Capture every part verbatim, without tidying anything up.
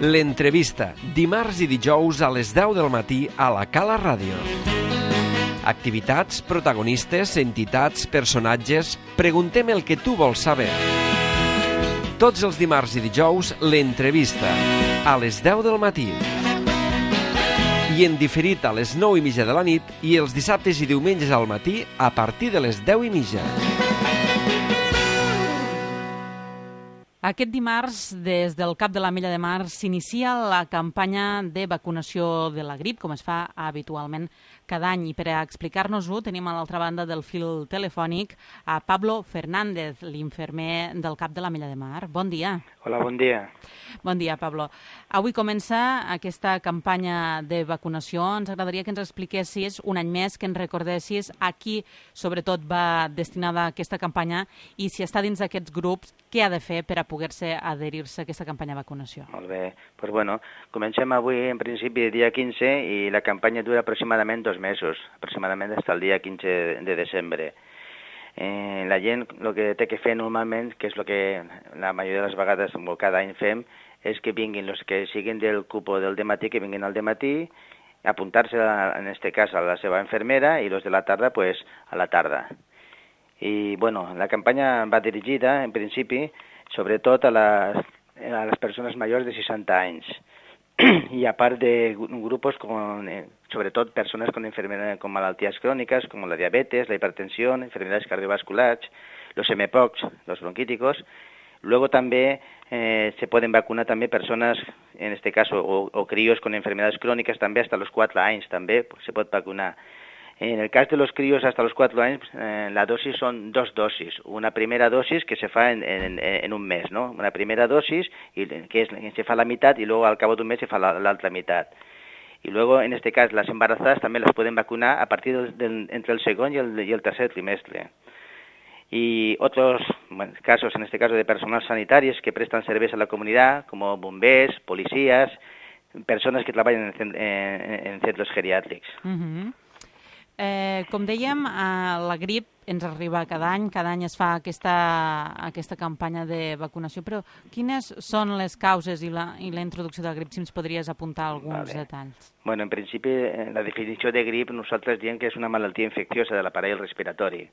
L'entrevista, dimarts i dijous a les deu del matí a la Cala Ràdio. Activitats, protagonistes, entitats, personatges... Preguntem el que tu vols saber. Tots els dimarts i dijous, l'entrevista, a les deu del matí. I en diferit a les nou i mitja de la nit i els dissabtes i diumenges al matí a partir de les deu i mitja. Aquest dimarts, des del Cap de l'Ametlla de Mar, s'inicia la campanya de vacunació de la grip, com es fa habitualment cada any. I per a explicar-nos-ho tenim a l'altra banda del fil telefònic a Pablo Fernández, l'infermer del Cap de l'Ametlla de Mar. Bon dia. Hola, bon dia. Bon dia, Pablo. Avui comença aquesta campanya de vacunació. Ens agradaria que ens expliquessis un any més, que ens recordessis a qui, sobretot, va destinada aquesta campanya i si està dins d'aquests grups, què ha de fer per a poder-se adherir-se a aquesta campanya de vacunació. Molt bé. Pues bueno, comencem avui, en principi, el dia quinze, i la campanya dura aproximadament dos mesos, aproximadament fins al dia quinze de desembre. Eh, la gent el que té que fer normalment, que és el que la majoria de les vegades o cada any fem, és que vinguin els que siguin del cupo del dematí, que vinguin al dematí, apuntar-se, en aquest cas, a la seva infermera, i els de la tarda, pues, a la tarda. I, bueno, la campanya va dirigida, en principi, sobretot a les, a les persones majors de seixanta anys. I a part de grupos con, eh, sobretot persones con, con malalties cròniques, com la diabetes, la hipertensió, enfermedades cardiovasculares, los M P O X, los bronquíticos. Luego també eh, se pueden vacunar també persones, en este caso, o, o críos con enfermedades crónicas, també hasta los quatre anys, també se pot vacunar. En el cas de los críos hasta los cuatro años, eh, la dosis son dos dosis. Una primera dosis que se fa en, en, en un mes, ¿no? Una primera dosis y que, es, que se fa la mitad y luego al cabo de un mes se fa la, la otra mitad. Y luego, en este caso, las embarazadas también las pueden vacunar a partir del, del, entre el segundo y el, y el tercer trimestre. Y otros bueno, casos, en este caso de personal sanitarios que prestan servicios a la comunidad, como bombers, policías, personas que trabajan en, en, en centros geriàtrics. Uh-huh. Eh, com dèiem, eh, la grip ens arriba cada any, cada any es fa aquesta, aquesta campanya de vacunació, però quines són les causes i la, i la introducció de la grip, si ens podries apuntar alguns vale. detalls? Bueno, en principi, la definició de grip nosaltres diem que és una malaltia infecciosa de l'aparell respiratori.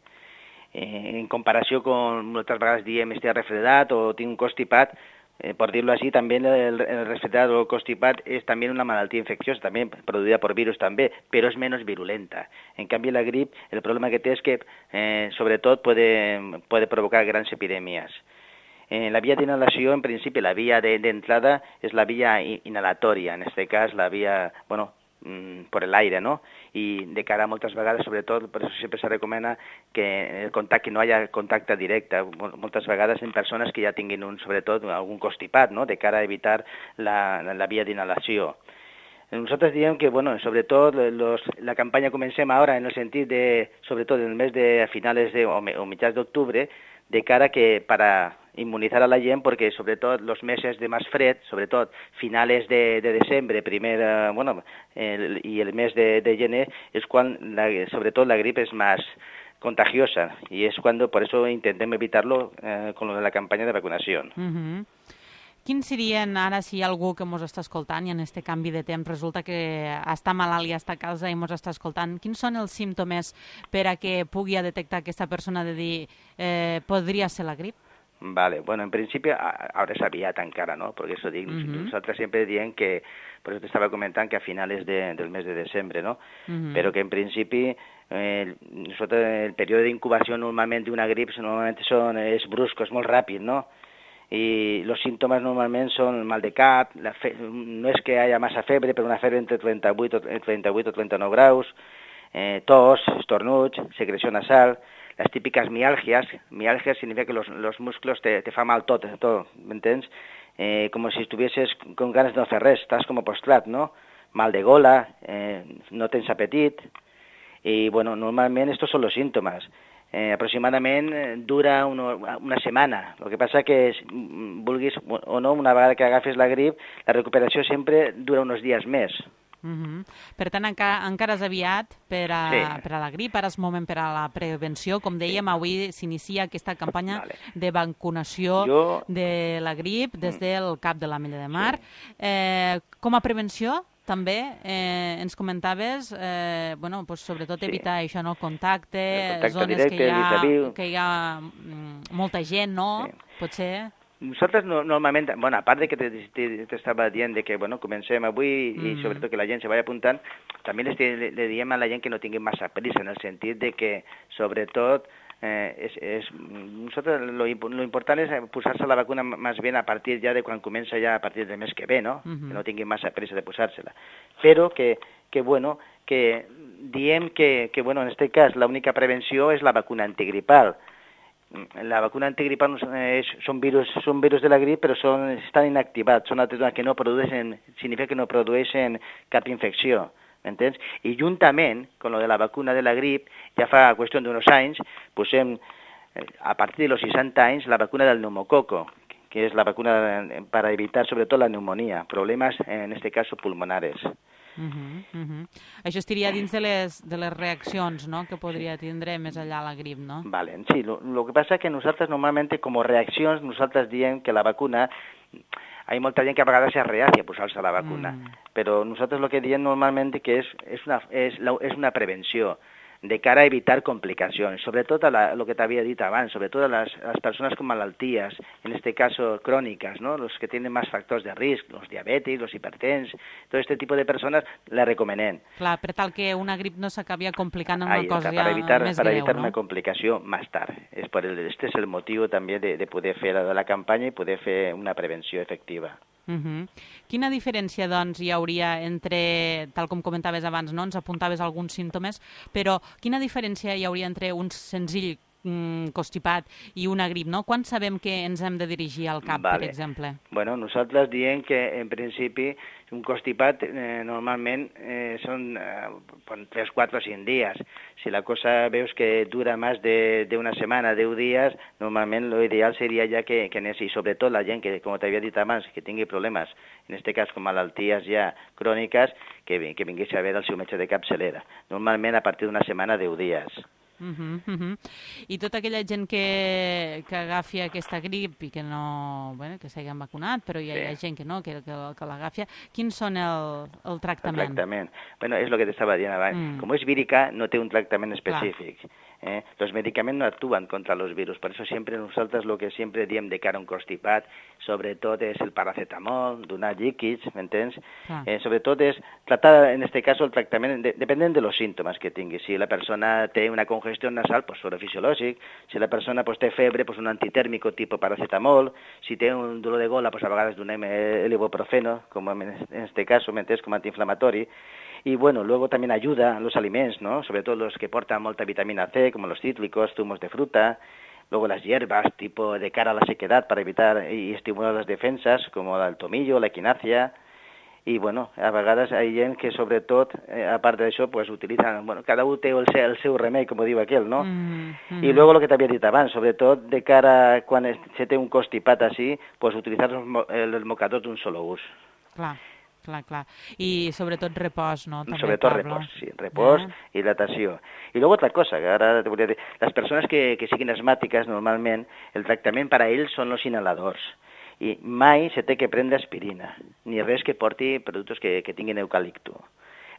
Eh, en comparació con moltes vegades diem estic refredat o tinc un constipat, Eh, por decirlo así, también el, el resfriado o constipat es también una malaltia infecciosa, también producida por virus també, però és menys virulenta. En canvi, la grip, el problema que té és que, eh, sobretot, puede, puede provocar grans epidèmies. Eh, la via d'inhalació, en principi, la via d'entrada de, és la via inhalatòria, en aquest cas, la via, bueno, por el aire, ¿no? Y de cara a moltes vegades, sobretot, per això sempre se recomana que el contacte, que no haya contacte directe, moltes vegades en persones que ja tinguin un, sobretot algun constipat, ¿no? De cara a evitar la, la via d'inhalació. Nosaltres diem que, bueno, sobretot, los, la campanya comencem ara en el sentit de, sobretot en el mes de a finales de, o, o mitjans d'octubre, de cara que para inmunizar a la gent, perquè sobretot els mesos de més fred, sobretot finales de, de desembre, primer, eh, bueno, el, i el mes de, de gener, és quan, la, sobretot, la grip és més contagiosa, i és quan, per això intentem evitar-lo eh, con la campanya de vacunació. Uh-huh. Quins serien, ara, si hi ha algú que ens està escoltant i en aquest canvi de temps resulta que està malalt i està a casa i ens està escoltant, quins són els símptomes per a que pugui detectar aquesta persona de dir eh, podria ser la grip? Vale, bueno, en principi ara és aviat encara, no? Perquè això dic, uh-huh. nosaltres sempre diem que, per això t'estava comentant que a finals de, del mes de desembre, no? Uh-huh. Però que en principi eh, nosaltres, el període d'incubació normalment d'una grip normalment són, és brusco, és molt ràpid, no? I els símptomes normalment són mal de cap, la fe... no és que hi hagi massa febre, però una febre entre trenta-vuit o trenta-nou graus, eh, tos, estornuts, secreció nasal, las típicas mialgias. Mialgias significa que los, los músculos te, te fa mal tot, tot, ¿m'entens? Eh, como si estuvieses con ganas de no hacer res, estás como postrat, ¿no? Mal de gola, eh, no tens apetit, y bueno, normalment estos son los síntomas. Eh, aproximadament dura una, una setmana. El que passa que, vulguis o no, una vegada que agafes la grip, la recuperació sempre dura uns dies més. Uh-huh. Per tant, encara, encara és aviat per a, sí. per a la grip, ara és moment per a la prevenció. Com dèiem, sí. avui s'inicia aquesta campanya vale. de vacunació jo... de la grip des del Cap de l'Ametlla de Mar. Sí. Eh, com a prevenció, també eh, ens comentaves, eh, bueno, pues, sobretot evitar sí. això, no? Contacte, el contacte zones directe, que hi ha, que hi ha mm, molta gent, no? Sí. Potser... Nosaltres no, normalment, bueno, a part de que t'estava dient de que, bueno, comencem avui mm. i sobretot que la gent se vagi apuntant, també le, le diem a la gent que no tingui massa prisa, en el sentit de que, sobretot, eh, és, és, nosaltres lo, lo important és posar-se la vacuna més ben a partir ja de quan comença ja a partir del mes que ve, no? Mm-hmm. Que no tingui massa prisa de posar-se-la. Però que, que, bueno, que diem que, que, bueno, en aquest cas, l'única prevenció és la vacuna antigripal. La vacuna antigripal és, són, virus, són virus de la grip, però són, estan inactivats, són altres que no produeixen, significa que no produeixen cap infecció, m'entens? I juntament, con lo de la vacuna de la grip, ja fa qüestió d'uns anys, posem, a partir de los seixanta anys, la vacuna del pneumococo, que és la vacuna para evitar sobretot la neumonía, problemas, en este caso, pulmonares. Uh-huh, uh-huh. Això estaria dins de les, de les reaccions, no?, que podria tindre més enllà la grip, no? Vale, sí, lo, lo que pasa es que nosaltres normalment com a reaccions nosaltres diem que la vacuna, hay molta gent que a vegades es reacia a posar-se la vacuna, mm. però nosaltres lo que diem normalment que és, és, una, és, la, és una prevenció de cara a evitar complicacions, sobretot a la, lo que t'havia dit abans, sobretot a les, a les persones con malalties, en este caso crónicas, ¿no? Los que tienen más factors de risc, los diabètics, los hipertens, todo este tipo de persones la recomanem. Clar, per tal que una grip no s'acabi complicant en una Ahí cosa está, ja evitar, més para greu, evitar no? una complicació més tard. Es por el, este es el motiu també de, de poder fer la, la campanya i poder fer una prevenció efectiva. Uh-huh. Quina diferència, doncs, hi hauria entre, tal com comentaves abans, no? Ens apuntaves alguns símptomes, però quina diferència hi hauria entre un senzill mm, constipat i una grip, no? Quan sabem que ens hem de dirigir al cap, vale. per exemple? Bueno, nosaltres diem que, en principi, un constipat eh, normalment eh, són eh, tres, quatre o cinc dies. Si la cosa veus que dura més d'una setmana, deu dies, normalment l'ideal seria ja que, que anés, i sobretot la gent que, com t'havia dit abans, que tingui problemes, en aquest cas com malalties ja cròniques, que, que vingués a veure el seu metge de capçalera. Normalment a partir d'una setmana, deu dies. Uh-huh, uh-huh. I tota aquella gent que, que agafi aquesta grip i que no, bueno, que s'hagin vacunat, però hi ha, sí. hi ha gent que no, que, que, que l'agafi, quins són el, el tractament? El tractament. Bueno, és el que t'estava dient abans. Mm. Com és vírica, no té un tractament específic. Clar. Eh? Los medicaments no actúan contra los virus, por eso siempre nosotros lo que siempre diem de cara a un constipat, sobretot és el paracetamol, donar líquids, m'entens? Ah. Eh, sobretot és tratar, en este caso, el tractament, de, depenent de los síntomas que tingui. Si la persona té una congestió nasal, pues suero fisiològic. Si la persona pues, té febre, pues un antitèrmico tipo paracetamol. Si té un dolor de gola, pues a vegades donem el ibuprofeno, com en este caso, m'entens, com antiinflamatori. Y bueno, luego también ayuda a los alimentos, ¿no? Sobre todo los que portan molta vitamina C, como los cítricos, zumos de fruta. Luego las hierbas, tipo de cara a la sequedad, para evitar y estimular las defensas, como el tomillo, la equinacia. Y bueno, a vegades hi ha gent que sobretot, eh, a part d'això, pues utilitzen, bueno, cada un té el seu, el seu remei, com diu aquell, no? Mm, mm. I luego lo que t'havia dit abans, sobretot de cara a quan se té un constipat així, pues utilitzar el, el mocador d'un solo ús. Clar. Clar, clar. I sobretot repòs, no? També, sobretot Pablo. repòs, sí. Repòs, eh? Hidratació. I luego otra cosa, que ara te volia dir, les persones que, que siguin asmàtiques, normalment, el tractament per a ells són els inhaladors. I mai se té que prendre aspirina, ni res que porti productes que, que tinguin eucalipto.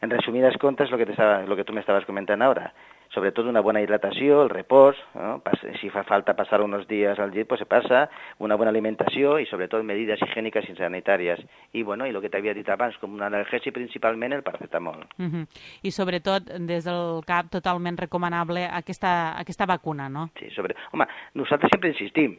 En resumidas cuentas, lo que, te estaba, lo que tú me estabas comentando ahora, sobre todo una buena hidratació, el repòs, ¿no? Si fa falta passar uns dies al llit, pues se passa, una bona alimentació i sobretot medidas higièniques i sanitàries. I bueno, i el que t'havia dit abans, com un analgèsic principalment el paracetamol. Uh-huh. I sobretot, des del cap, totalment recomanable aquesta, aquesta vacuna, no? Sí, sobre... Home, nosaltres sempre insistim.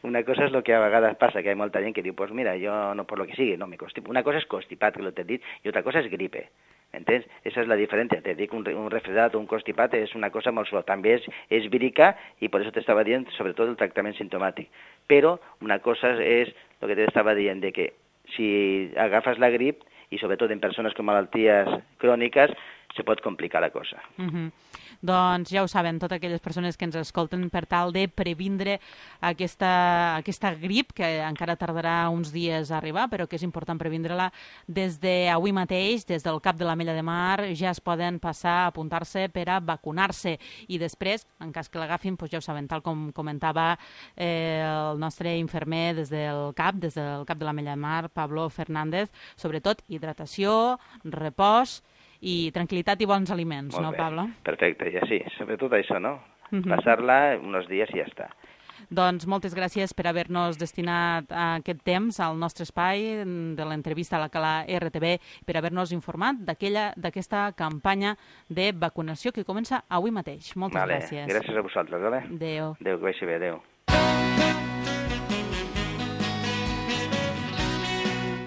Una cosa és el que a vegades passa, que hi ha molta gent que diu, pues mira, jo no por lo que sigui, no me constipo. Una cosa és constipat, que lo t'he dit, i otra cosa és gripe. ¿Entens? Esa es la diferencia. Te dic, un, un refredat o un constipat és una cosa molt suau. També és, és vírica i per això t'estava dient sobretot el tractament simptomàtic. Però una cosa és el que t'estava dient, de que si agafes la grip i sobretot en persones con malalties cròniques se pot complicar la cosa. Uh-huh. Doncs ja ho saben, totes aquelles persones que ens escolten per tal de previndre aquesta, aquesta grip, que encara tardarà uns dies a arribar, però que és important previndre-la des d'avui mateix, des del Cap de l'Ametlla de Mar, ja es poden passar a apuntar-se per a vacunar-se. I després, en cas que l'agafin, doncs ja ho saben, tal com comentava eh, el nostre infermer des del CAP, des del Cap de l'Ametlla de Mar, Pablo Fernández, sobretot hidratació, repòs i tranquil·litat i bons aliments, Molt no, bé. Pablo? Perfecte, ja sí, sobretot això, no? Uh -huh. Passar-la uns dies i ja està. Doncs moltes gràcies per haver-nos destinat aquest temps al nostre espai de l'entrevista a la Cala R T B, per haver-nos informat d'aquella d'aquesta campanya de vacunació que comença avui mateix. Moltes vale. gràcies. Gràcies a vosaltres, vale? Adéu. Adéu, que vagi bé, adéu.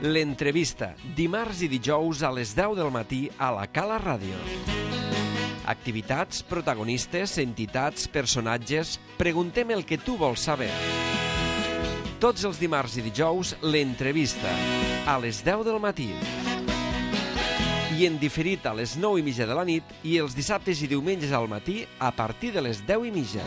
L'entrevista, dimarts i dijous a les deu del matí a la Cala Ràdio. Activitats, protagonistes, entitats, personatges... Preguntem el que tu vols saber. Tots els dimarts i dijous, l'entrevista, a les deu del matí. I en diferit a les nou i mitja de la nit i els dissabtes i diumenges al matí a partir de les deu i mitja.